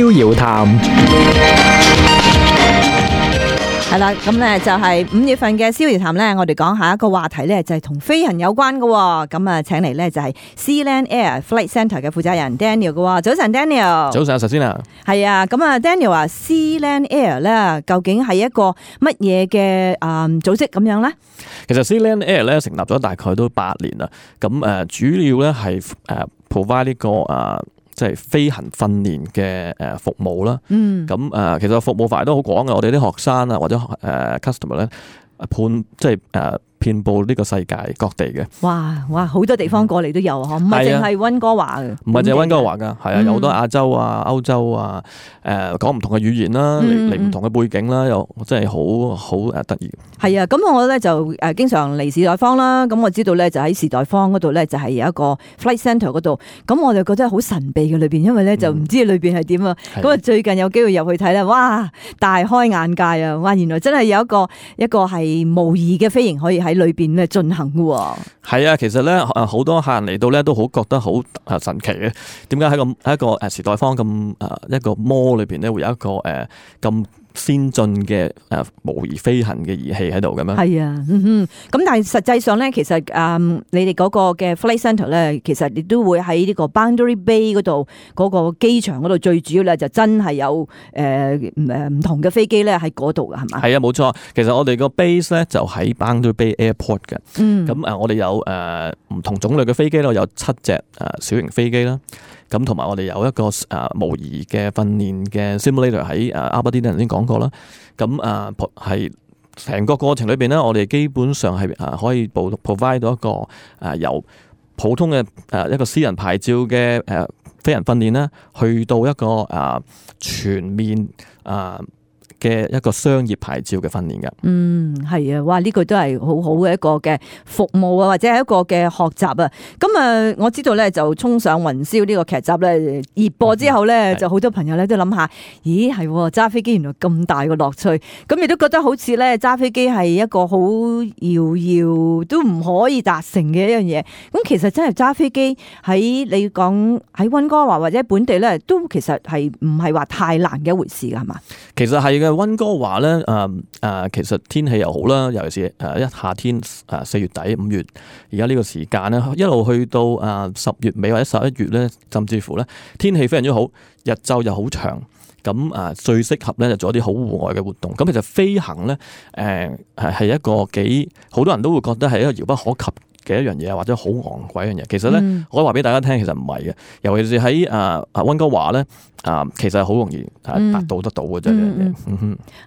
逍遙談。係啦，咁咧就係5月份嘅逍遙談咧，我哋講下一個話題咧，就係同飛行有關嘅。咁啊，請嚟咧就係 Sealand Air Flight Centre 嘅負責人 Daniel 嘅。早晨 Daniel。早晨，首先啊，係啊，咁啊 Daniel 話 Sealand Air 咧，究竟係一個乜嘢嘅組織咁樣咧？其實 Sealand Air 咧成立咗大概都8年啦。咁主要咧係provide 呢個即係飛行訓練嘅服務啦。咁其實服務範圍都好廣嘅。我哋啲學生啊或者customer 咧遍佈呢個世界各地嘅。哇，好多地方過嚟都有啊，唔係淨係溫哥華嘅。唔係淨係溫哥華㗎，係啊，有好多亞洲啊、歐洲啊，講唔同嘅語言啦，嚟唔同嘅背景啦，又真係好得意。係啊，咁我咧就經常嚟士代方啦，咁我知道咧就喺士代方嗰度咧就係有一個 flight centre 嗰度，咁我就覺得好神秘嘅裏邊，因為咧就唔知裏邊係點啊。咁啊最近有機會入去睇咧，哇，大開眼界啊！哇，原來真係有一個係模擬嘅飛行可以喺裏邊咧進行嘅。係啊，其實咧好多客人嚟到咧都好覺得好神奇嘅，點解喺一個時代方咁一個 mall 裏邊咧會有一個咁先進嘅模擬飛行嘅儀器喺度咁樣？係啊，咁但係實際上咧，其實你哋嗰個嘅 flight centre 咧，其實亦都會喺呢個 Boundary Bay 嗰度嗰個機場嗰度，最主要咧就真係有唔同嘅飛機咧喺嗰度㗎，係嘛？係啊，冇錯。其實我哋個 base 咧就喺 Boundary Bay Airport 嘅。咁我哋有唔同種類嘅飛機咯，有7隻小型飛機啦。咁同埋我哋有一個模擬嘅訓練嘅 simulator 喺Aberdeen頭先講過啦。咁係成個過程裏邊咧，我哋基本上係可以provide 到一個由普通嘅一個私人牌照嘅飛行訓練啦，去到一個全面嘅一個商業牌照嘅訓練嘅。係啊，哇！呢個都係好好嘅一個嘅服務啊，或者係一個嘅學習啊。咁我知道咧就衝上雲霄呢個劇集咧熱播之後咧，就好多朋友咧都諗下，咦係揸飛機原來咁大個樂趣，咁亦都覺得好似咧揸飛機係一個好遙遙都唔可以達成嘅一樣嘢。咁其實真係揸飛機喺你講喺溫哥華或者本地咧，都其實係唔係話太難嘅一回事㗎，係嘛？其實係嘅，溫哥華咧其實天氣又好啦，尤其是一夏天4月底5月，而家呢個時間咧，一路去到10月尾或者11月咧，甚至乎咧天氣非常之好，日晝又好長，咁最適合咧就做一啲好戶外嘅活動。咁其實飛行咧係一個好多人都會覺得係一個遙不可及嘅一樣嘢，或者好昂貴一樣嘢。其實咧，我可以話俾大家聽，其實唔係嘅。尤其是喺溫哥華咧，其實係好容易達到得到嘅啫。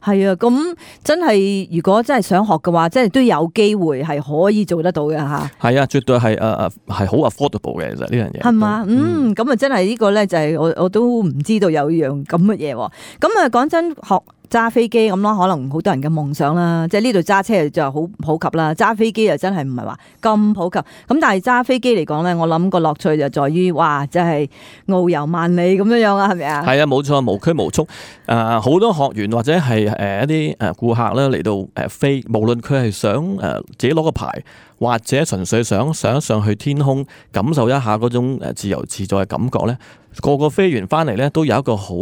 係啊，咁真係如果真係想學嘅話，真係都有機會係可以做得到嘅嚇。係啊，絕對係好 affordable 嘅，其實呢樣嘢。係嘛？咁啊，真係呢個咧就係我都唔知道有樣咁嘅嘢喎。咁啊，講真學揸飛機咁咯，可能好多人嘅夢想啦，即係呢度揸車就好普及啦，揸飛機又真係唔係話咁普及。咁但係揸飛機嚟講咧，我諗個樂趣就在於，哇，真係遨遊萬里咁樣啊，係咪啊？係啊，冇錯，無拘無束。好多學員或者係一啲顧客咧嚟到飛，無論佢係想自己攞個牌，或者純粹想上去天空感受一下嗰種自由自在嘅感覺咧，個飛完翻嚟咧都有一個好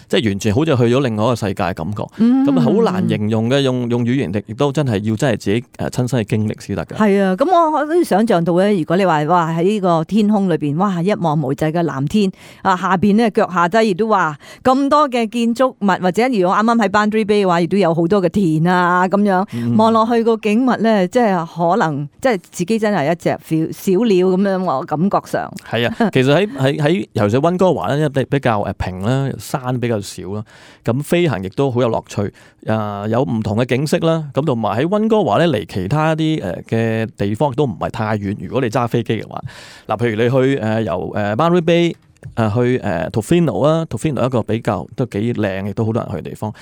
即係完全好似去咗另外一個世界嘅感覺，咁好難形容嘅，用語言亦都真係要真係自己親身嘅經歷先得嘅。係啊，咁我都想象到咧，如果你話哇喺呢個天空裏邊，哇一望無際嘅藍天下邊咧腳下低亦都話咁多嘅建築物，或者如果啱啱喺 Boundary Bay 嘅話，亦都有好多嘅田啊咁樣，望落去個景物咧，即係可能即係自己真係一隻小鳥咁樣，我感覺上係啊。其實喺尤其是溫哥華咧，比較平啦，山比較少啦，咁飛行亦都好有樂趣，有唔同嘅景色啦，咁同埋喺溫哥華咧離其他啲嘅地方亦都唔係太遠。如果你揸飛機嘅話，譬如你去由Boundary Bay 去Tofino 啊，Tofino 一個比較都幾靚，亦都好多人去嘅地方。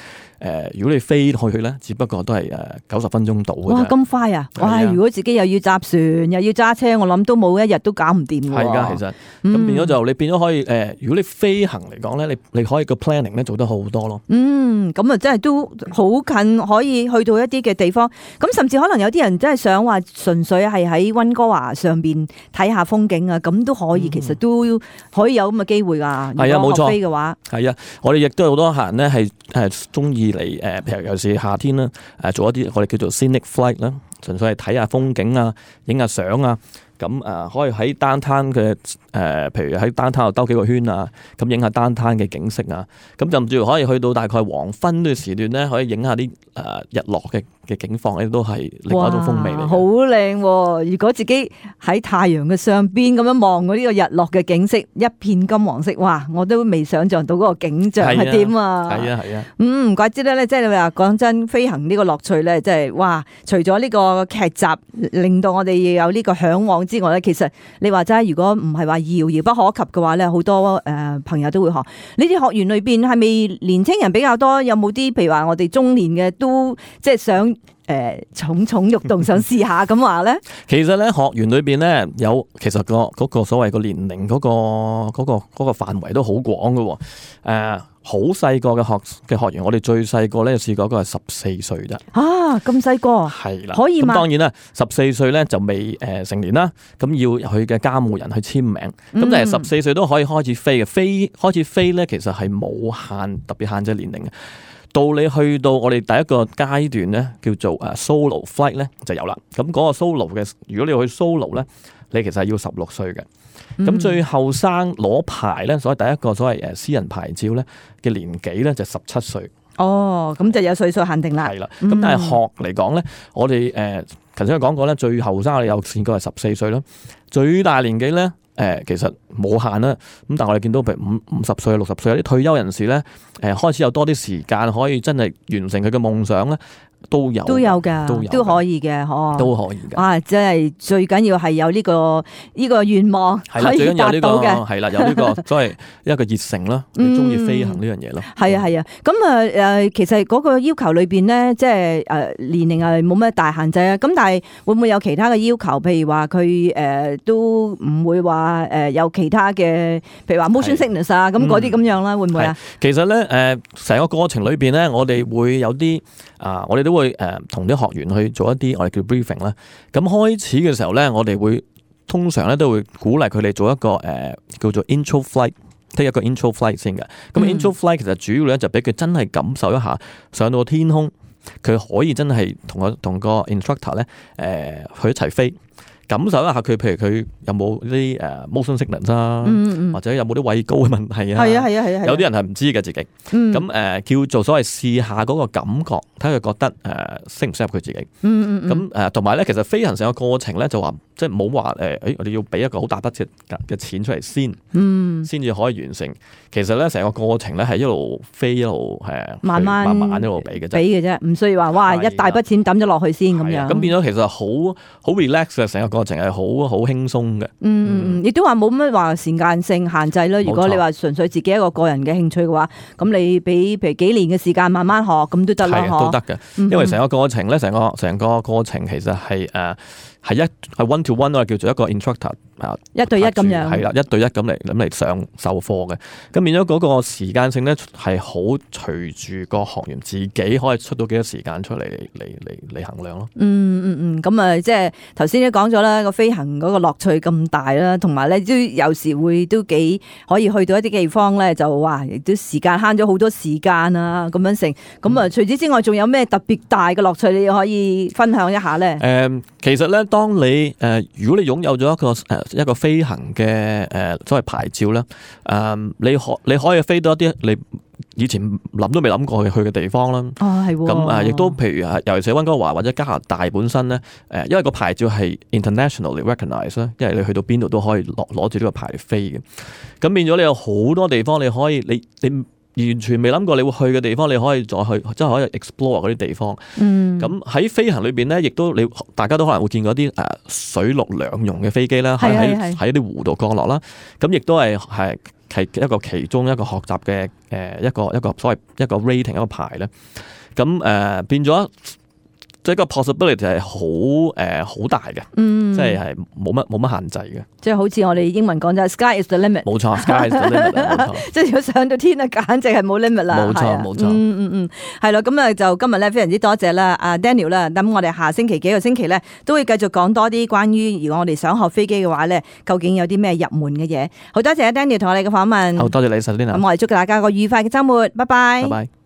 如果你飛去咧，只不過都係90分鐘到嘅啫。哇，咁快啊！哇，如果自己又要搭船又要揸車，我諗都冇一日都搞唔掂喎。係㗎，其實咁變咗就你變咗可以如果你飛行嚟講咧，你可以個 planning 咧做得好多咯。咁啊真係都好近，可以去到一啲嘅地方。咁甚至可能有啲人真係想話純粹係喺溫哥華上邊睇下風景啊，咁都可以。其實都可以有咁嘅機會㗎。係啊，冇錯。如果學飛嘅話，係啊，我哋亦都有好多客人咧係中意嚟譬如尤其是夏天啦，做一啲我哋叫做 scenic flight 啦，純粹係睇下風景啊，影下相啊。咁可以喺downtown嘅譬如喺downtown度兜幾個圈啊，咁影下downtown嘅景色啊，咁甚至乎可以去到大概黃昏嘅時段咧，可以影下啲日落嘅景況咧，都係另外一種風味嚟。好靚喎！如果自己喺太陽嘅上邊咁樣望嗰呢個日落嘅景色，一片金黃色，哇！我都未想象到嗰個景象係點啊！係啊係啊，唔怪之得咧，即係你話講真，飛行呢個樂趣咧，即係哇！除咗呢個劇集令到我哋有呢個向往之外咧，其實你話齋，如果唔係話遙遙不可及嘅話咧，好多朋友都會學。呢啲學員裏邊係咪年青人比較多？有冇啲譬如話我哋中年嘅都即係想蠢蠢欲動，想試下咁話咧？其實咧，學員裏邊咧有其實嗰個所謂個年齡嗰個範圍都好廣㗎。好細個嘅學員，我哋最細個咧試過一個係14歲啫。啊，咁細個係啦，可以嘛？咁當然啦，14歲咧就未成年啦，咁要佢嘅監護人去簽名。咁但係14歲都可以開始飛嘅，開始飛咧，其實係冇特別限制年齡嘅。到你去到我哋第一個階段咧，叫做solo flight 咧就有啦。咁嗰個 solo 嘅，如果你要去 solo 咧，你其實係要16歲嘅。咁最後生攞牌咧，所謂第一個所謂私人牌照咧嘅年紀咧就17歲。哦，咁就有歲數限定啦。係啦，咁但係學嚟講咧，我哋頭先講過咧，最後生我哋有試過係14歲啦，最大年紀咧其實冇限啦。咁但係我哋見到譬如50歲、60歲有啲退休人士咧，開始有多啲時間可以真係完成佢嘅夢想咧。都有㗎，都可以嘅，都可以嘅。哇！即係最緊要係有呢個願望可以達到嘅，係啦，有呢個所謂一個熱誠啦，你中意飛行呢樣嘢咯。係啊係啊，咁其實嗰個要求裏邊咧，即係年齡係冇咩大限制啊。咁但係會唔會有其他嘅要求？譬如話佢都唔會話有其他嘅，譬如話 motion sickness 啊，咁嗰啲咁樣啦，會唔會啊？其實咧成個過程裏邊咧，我哋會有啲我哋都會同啲學員去做一啲我哋叫 briefing 啦。咁開始嘅時候咧，我哋會通常咧都會鼓勵佢哋做一個叫做 intro flight，take 一個 intro flight 先嘅。咁 intro flight 其實主要咧就俾佢真係感受一下上到天空，佢可以真係同個 instructor 咧去一齊飛。感受一下佢，譬如佢有冇啲motion sickness 啊，或者有冇啲畏高嘅問題啊？係啊係啊係啊！有啲人係唔知嘅自己，咁叫做所謂試下嗰個感覺，睇佢覺得適唔適合佢自己。咁同埋咧，其實飛行成個過程咧就話，即係唔好話我哋要俾一個好大筆嘅錢出嚟先至可以完成。其實咧成個過程咧係一路飛一路慢慢一路俾嘅啫，唔需要話哇一大筆錢抌咗落去先咁樣。咁變咗其實好 relax 嘅成個過程係好輕鬆嘅。亦都話冇乜話時間性限制啦。如果你話純粹自己一個個人嘅興趣嘅話，咁你俾譬如幾年嘅時間慢慢學咁都得啦，都得嘅。因為成個過程咧，成個過程其實係係 one to one 我叫做一個 instructor 一對一咁樣，係啦，一對一咁嚟上授課嘅。咁變咗嗰個時間性咧係好隨住個學員自己可以出到幾多時間出嚟衡量咯。咁即係頭先都講咗啦，個飛行嗰個樂趣咁大啦，同埋咧都有時會都幾可以去到一啲地方咧，就話亦都時間慳咗好多時間啊咁樣成。咁除此之外，仲有咩特別大嘅樂趣你可以分享一下咧？其實咧，當你如果你擁有咗一個飛行嘅所謂牌照咧，你可以飛到一啲你以前諗都未諗過去嘅地方啦。係喎。咁亦都譬如尤其是溫哥華或者加拿大本身咧，因為個牌照係 internationally recognized 啦，因為你去到邊度都可以攞住呢個牌嚟飛嘅。咁變咗你有好多地方你可以你完全未諗過你會去嘅地方，你可以再去，即係可以 explore 嗰啲地方。咁喺飛行裏邊咧，亦都大家都可能會見過啲水陸兩用嘅飛機啦，喺一啲湖度降落啦。咁亦都係一個其中一個學習嘅一個所謂一個 rating 一個牌咧。咁變咗，即即係個 possibility 係好大嘅，即係冇乜限制嘅。即係好似我哋英文講就係 sky is the limit。冇錯，sky is the limit，冇錯。即係如果上到天啊，簡直係冇 limit 啦。冇錯，冇錯。係咯，咁啊就今日咧非常之多謝啦，阿 Daniel 啦。咁我哋下星期幾個星期咧都會繼續講多啲關於如果我哋想學飛機嘅話咧，究竟有啲咩入門嘅嘢。好多謝阿 Daniel 同我哋嘅訪問。好多謝你，Selina。咁我哋祝大家個愉快嘅週末，拜拜。拜拜。